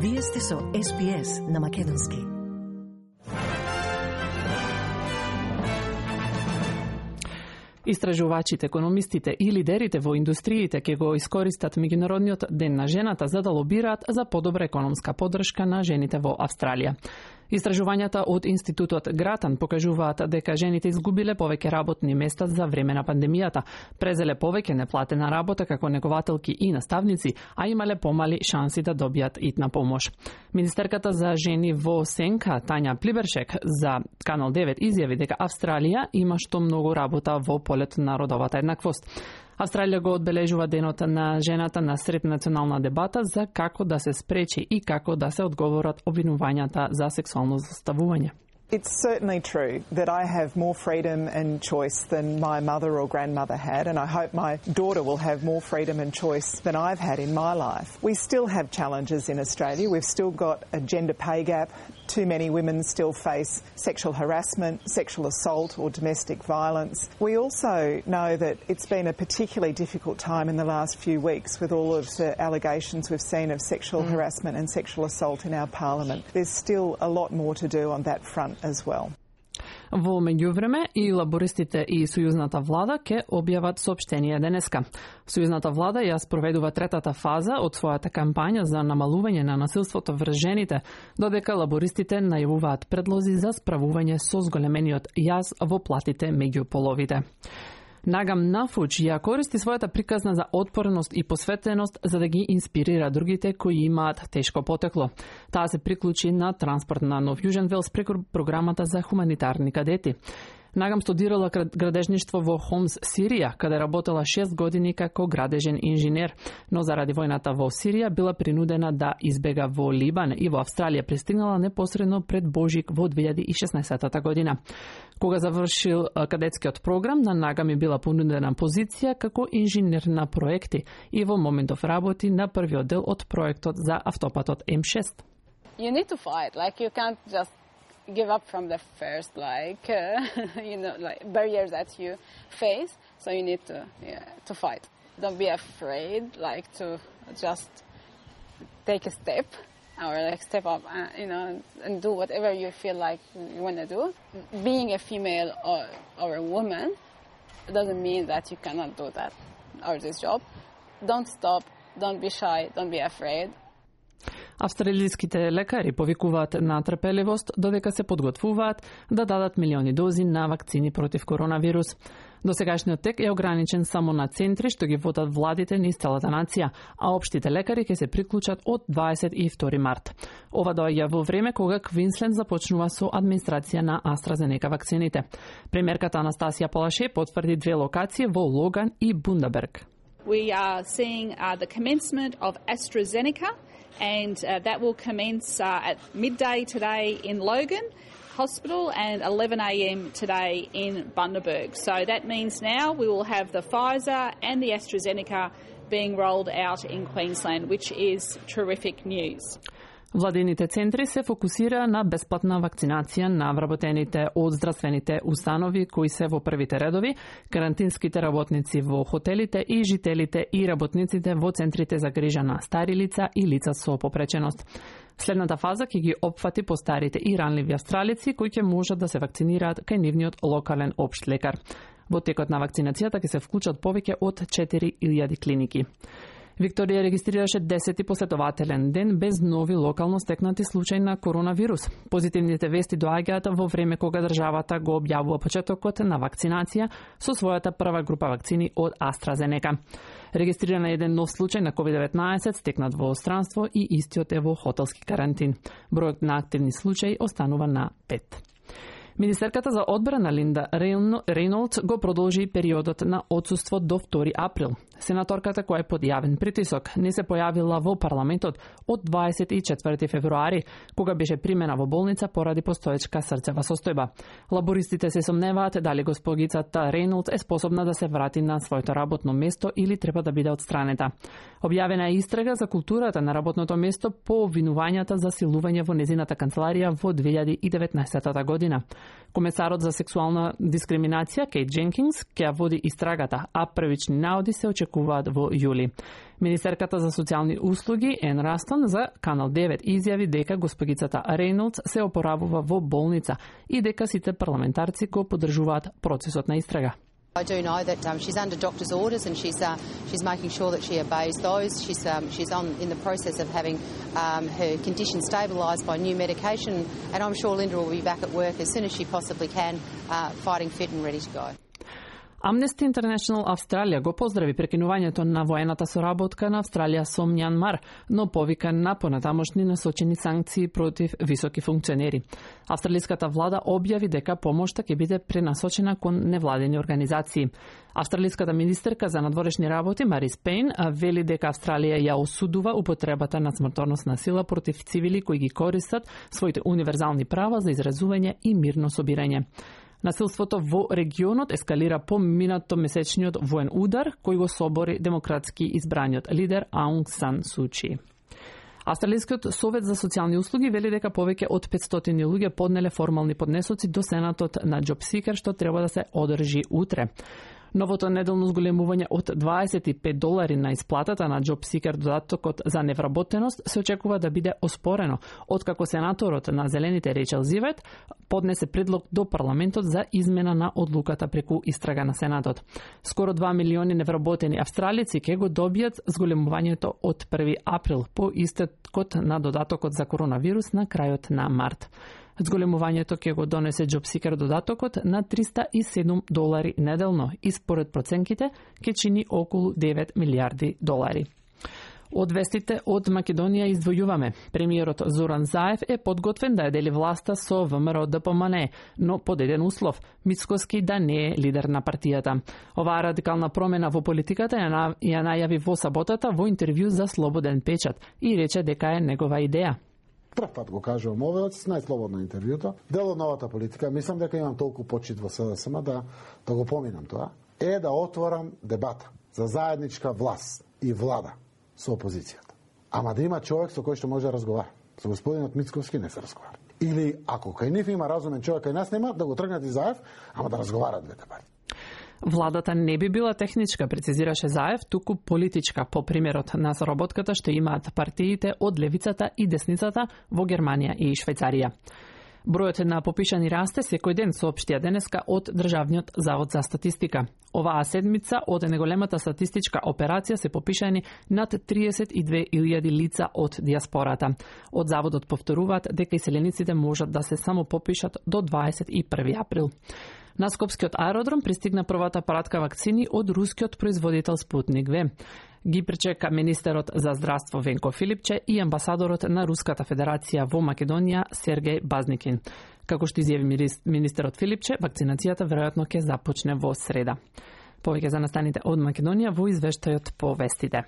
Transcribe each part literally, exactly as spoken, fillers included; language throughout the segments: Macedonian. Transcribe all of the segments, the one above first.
Вие сте со Ес Би Ес на македонски. Истражувачите, економистите и лидерите во индустриите ќе го искористат Меѓународниот ден на жената за да лобираат за подобра економска поддршка на жените во Австралија. Истражувањата од Институтот Гратан покажуваат дека жените изгубиле повеќе работни места за време на пандемијата, презеле повеќе неплатена работа како негователки и наставници, а имале помали шанси да добијат итна помош. Министерката за жени во Сенка, Тања Плибершек, за Канал девет изјави дека Австралија има што многу работа во полето на родовата еднаквост. Австралија го одбележува денот на жената на сред национална дебата за како да се спречи и како да се одговорат обвинувањата за сексуално заставување. It's certainly true that I have more freedom and choice than my mother or grandmother had, and I hope my daughter will have more freedom and choice than I've had in my life. We still have challenges in Australia. We've still got a gender pay gap. Too many women still face sexual harassment, sexual assault or domestic violence. We also know that it's been a particularly difficult time in the last few weeks with all of the allegations we've seen of sexual mm. harassment and sexual assault in our parliament. There's still a lot more to do on that front as well. Во меѓувреме и лабористите и Сојузната влада ќе објават соопштение денеска. Сојузната влада ја спроведува третата фаза од својата кампања за намалување на насилството врз жените, додека лабористите најавуваат предлози за справување со зголемениот јаз во платите меѓу половите. Нагам Нафуч ја користи својата приказна за отпореност и посветеност за да ги инспирира другите кои имаат тешко потекло. Таа се приклучи на транспорт на Нов Јужен Велс преку програмата за хуманитарни кадети. Нагам студирала градежништво во Хомс, Сирија, каде работела шест години како градежен инженер, но заради војната во Сирија била принудена да избега во Либан и во Австралија пристигнала непосредно пред Божик во две илјади и шеснаесетта година. Кога завршил кадетскиот програм, на Нагам е била понудена позиција како инженер на проекти и во моментов работи на првиот дел од проектот за автопатот М шест. You need to fight, like you can't just give up from the first, like uh, you know, like barriers that you face. So you need to, yeah, to fight. Don't be afraid, like to just take a step or like step up, uh, you know, and do whatever you feel like you want to do. Being a female or or a woman doesn't mean that you cannot do that or this job. Don't stop. Don't be shy. Don't be afraid. Австралиските лекари повикуваат на трпеливост додека се подготвуваат да дадат милиони дози на вакцини против коронавирус. Досегашниот тек е ограничен само на центри што ги водат владите низ целата нација, а општите лекари ќе се приклучат од дваесет и втори март. Ова доаѓа во време кога Квинсленд започнува со администрација на AstraZeneca вакцините. Премиерката Анастасија Палаше потврди две локации во Логан и Бундаберг. We are seeing uh, the commencement of AstraZeneca, and uh, that will commence uh, at midday today in Logan Hospital and eleven a m today in Bundaberg. So that means now we will have the Pfizer and the AstraZeneca being rolled out in Queensland, which is terrific news. Владините центри се фокусира на бесплатна вакцинација на вработените од здравствените установи кои се во првите редови, карантинските работници во хотелите и жителите и работниците во центрите за грижа на стари лица и лица со попреченост. Следната фаза ќе ги опфати постарите и ранливи австралици кои ќе можат да се вакцинираат кај нивниот локален општ лекар. Во текот на вакцинацијата ќе се вклучат повеќе од четири илјади клиники. Викторија регистрираше десети последователен ден без нови локално стекнати случаи на коронавирус. Позитивните вести доаѓаат во време кога државата го објавува почетокот на вакцинација со својата прва група вакцини од AstraZeneca. Регистриран е еден нов случај на ковид деветнаесет стекнат во странство и истиот е во хотелски карантин. Бројот на активни случаи останува на пет. Министерката за одбрана Линда Рейнолдс го продолжи периодот на отсуство до втори април. Сенаторката која е под јавен притисок не се појавила во парламентот од дваесет и четврти февруари, кога беше примена во болница поради постоечка срцева состојба. Лабористите се сомневаат дали госпогицата Рейнолдс е способна да се врати на своето работно место или треба да биде отстранета. Објавена е истрага за културата на работното место по обвинувањата за силување во незината канцеларија во две илјади и деветнаесетта година. Комесарот за сексуална дискриминација Кейт Дженкинс ќе води истрагата, а првични наоди се очекуваат во јули. Министерката за социјални услуги Ен Растон за Канал девет изјави дека госпогицата Рейнолдс се опоравува во болница и дека сите парламентарци го поддржуваат процесот на истрага. I do know that um, she's under doctor's orders and she's uh, she's making sure that she obeys those. She's um, she's on in the process of having um, her condition stabilised by new medication, and I'm sure Linda will be back at work as soon as she possibly can, uh, fighting fit and ready to go. Amnesty International Австралија го поздрави прекинувањето на воената соработка на Австралија со Мјанмар, но повика на понатамошни насочени санкции против високи функционери. Австралиската влада објави дека помошта ќе биде пренасочена кон невладени организации. Австралиската министерка за надворешни работи Марис Пейн вели дека Австралија ја осудува употребата на смртоносна сила против цивили кои ги користат своите универзални права за изразување и мирно собирање. Насилството во регионот ескалира по минато месечниот воен удар кој го собори демократски избраниот лидер Аунг Сан Су Чи. Австралискиот совет за социјални услуги вели дека повеќе од петстотини луѓе поднеле формални поднесоци до Сенатот на JobSeeker, што треба да се одржи утре. Новото неделно зголемување од дваесет и пет долари на исплатата на JobSeeker додатокот за невработеност се очекува да биде оспорено, откако сенаторот на Зелените Рейчел Зивет поднесе предлог до парламентот за измена на одлуката преку истрага на Сенатот. Скоро два милиони невработени австралици ќе го добијат зголемувањето од први април по истекот на додатокот за коронавирус на крајот на март. Зголемувањето ќе го донесе JobSeeker додатокот на триста и седум долари неделно и според проценките ќе чини околу девет милијарди долари. Од вестите од Македонија издвојуваме. Премиерот Зоран Заев е подготвен да ја дели власта со ВМРО Д П М Н, но под еден услов – Мицкоски да не е лидер на партијата. Оваа радикална промена во политиката ја, ја најави во саботата во интервју за Слободен печат и рече дека е негова идеја. Прв пат го кажувам овој, најслободно интервјуто. Дел од новата политика, мислам дека имам толку почит во С Д С М да, да го поминам тоа, е да отворам дебата за заедничка власт и влада со опозицијата. Ама да има човек со кој што може да разговара. Со господинот Мицковски не се разговара. Или ако кај нив има разумен човек, кај нас нема, да го тргнат и Заев, ама да разговарат двете партии. Владата не би била техничка, прецизираше Заев, туку политичка, по примерот на соработката што имаат партиите од левицата и десницата во Германија и Швајцарија. Бројот на попишани расте секој ден, соопштија денеска од Државниот завод за статистика. Оваа седмица од неголемата статистичка операција се попишани над триесет и две илјади лица од диаспората. Од заводот повторуваат дека иселениците можат да се само попишат до дваесет и први април. На Скопскиот аеродром пристигна првата паратка вакцини од рускиот производител Спутник В. Ги пречека министерот за здравство Венко Филипче и амбасадорот на Руската Федерација во Македонија Сергеј Базникин. Како што изјави министерот Филипче, вакцинацијата веројатно ќе започне во среда. Повеќе за настаните од Македонија во извештајот по вестите.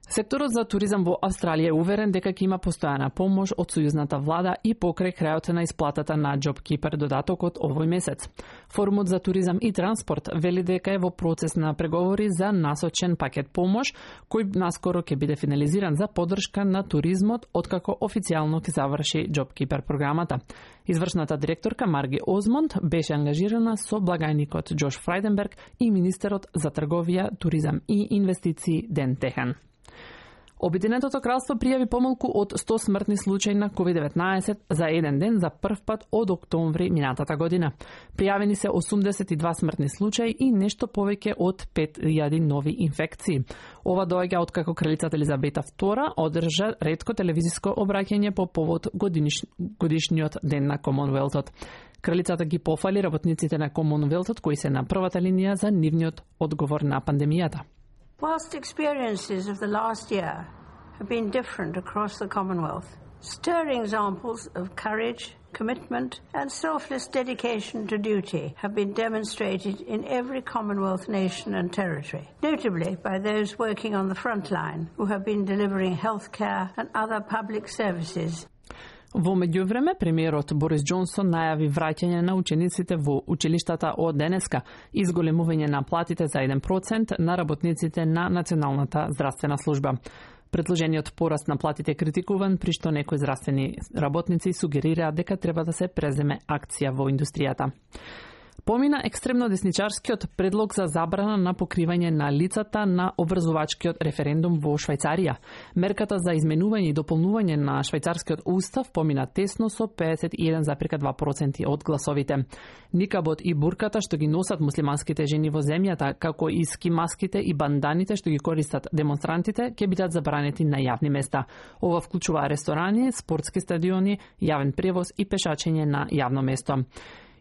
Секторот за туризам во Австралија е уверен дека ќе има постојана помош од сојузната влада и покрај крајот на исплатата на JobKeeper додатокот овој месец. Форумот за туризам и транспорт вели дека е во процес на преговори за насочен пакет помош, кој наскоро ќе биде финализиран за поддршка на туризмот, откако официјално ќе заврши JobKeeper програмата. Извршната директорка Марги Озмонд беше ангажирана со благајникот Џош Фрајденберг и министерот за трговија, туризам и инвестиции Ден Техан. Обединетото кралство пријави помалку од сто смртни случаи на ковид деветнаесет за еден ден за прв пат од октомври минатата година. Пријавени се осумдесет и два смртни случаи и нешто повеќе од пет илјади нови инфекции. Ова доаѓа откако кралицата Елизабета втора одржа ретко телевизиско обраќање по повод годиниш... годишниот ден на Комонвелтот. Кралицата ги пофали работниците на Комонвелтот кои се на првата линија за нивниот одговор на пандемијата. Whilst experiences of the last year have been different across the Commonwealth, stirring examples of courage, commitment and selfless dedication to duty have been demonstrated in every Commonwealth nation and territory, notably by those working on the front line who have been delivering healthcare and other public services. Во меѓувреме, премиерот Борис Џонсон најави враќање на учениците во училиштата од денеска и зголемување на платите за еден процент на работниците на Националната здравствена служба. Предложениот пораст на платите критикуван, при што некои здравствени работници сугерираат дека треба да се преземе акција во индустријата. Помина екстремно десничарскиот предлог за забрана на покривање на лицата на образовачкиот референдум во Швајцарија. Мерката за изменување и дополнување на швајцарскиот устав помина тесно со педесет и еден зарез два проценти од гласовите. Никабот и бурката што ги носат муслиманските жени во земјата, како и скимаските и банданите што ги користат демонстрантите, ќе бидат забранети на јавни места. Ова вклучува ресторани, спортски стадиони, јавен превоз и пешачење на јавно место.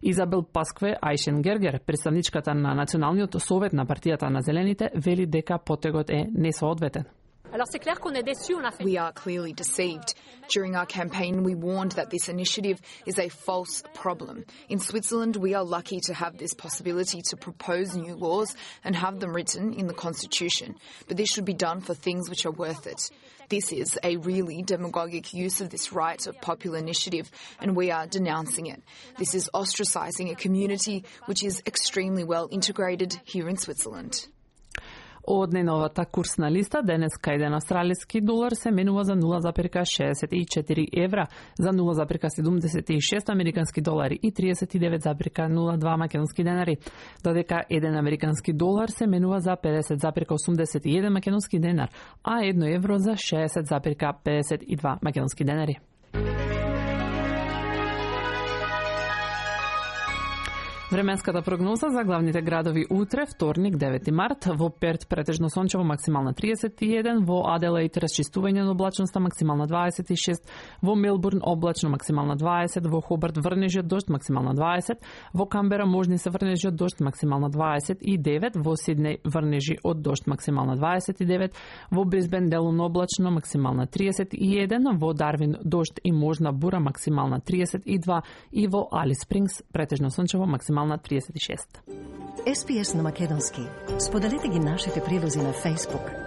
Изабел Паскве Ајшенгергер, представничката на Националниот совет на партијата на Зелените, вели дека потегот е несоодветен. We are clearly deceived. During our campaign, we warned that this initiative is a false problem. In Switzerland, we are lucky to have this possibility to propose new laws and have them written in the Constitution. But this should be done for things which are worth it. This is a really demagogic use of this right of popular initiative, and we are denouncing it. This is ostracising a community which is extremely well integrated here in Switzerland. Од најновата курсна листа, денеска еден австралиски долар се менува за нула зарез шеесет и четири евра, за нула зарез седумдесет и шест американски долари и тридесет и девет зарез нула два македонски денари, додека еден американски долар се менува за педесет зарез осумдесет и еден македонски денар, а едно евро за шеесет зарез педесет и два македонски денари. Временската прогноза за главните градови утре, вторник, девети март, во Перт претежно сончево, максимална триесет и еден, во Аделаид расчистување на облачноста, максимална дваесет и шест, во Мелбурн облачно, максимална дваесет, во Хобарт врнежи од дожд, максимална дваесет, во Камбера можни се врнежи од дожд, максимална дваесет и девет, во Сиднеј врнежи од дожд, максимална дваесет и девет, во Брисбен делумно облачно, максимална триесет и еден, во Дарвин дожд и можна бура, максимална триесет и два и во Алис Спрингс претежно сончево, максимална на триесет и шест. Ес Пи Ес на македонски. Споделете ги нашите прилози на Facebook,